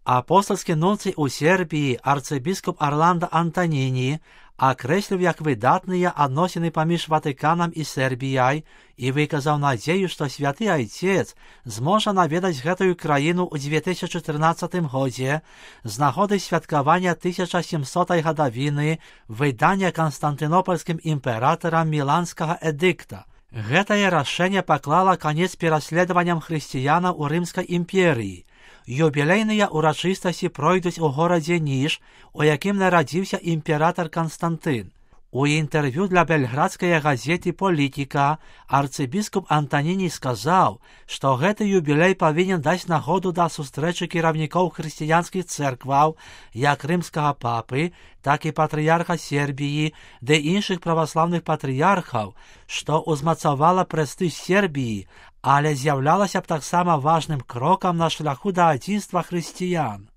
Апостольський нунцій у Сербії арцибіскоп Орландо Антоніні окреслив як видатные отношения поміж Ватиканом і Сербією і виказав надію, що Святий Отець зможе навідати гэтую країну у 2014 году з нагоди святкування 1700-ї годовини видання Константинопольським імператором Міланського едикта. Гэтае рашэнне паклала канец пераследаванням хрысціянаў у Рымскай імперыі. Юбілейныя урачыстасці пройдуць у горадзе Ніж, у якім нарадзіўся імператор Константин. У інтэрв'ю для бельградскай газеты «Політика» арцыбіскуп Антоніні сказаў, што гэты юбілей павінен даць нагоду да сустрэчы кіраўнікоў хрысціянскіх цэркваў, як рымскага папы, так і патрыярха Сербіі, ды іншых праваслаўных патрыярхаў, што ўзмацавала прэстыж Сербіі, але з'яўлялася б таксама важным крокам на шляху да адзінства хрысціян.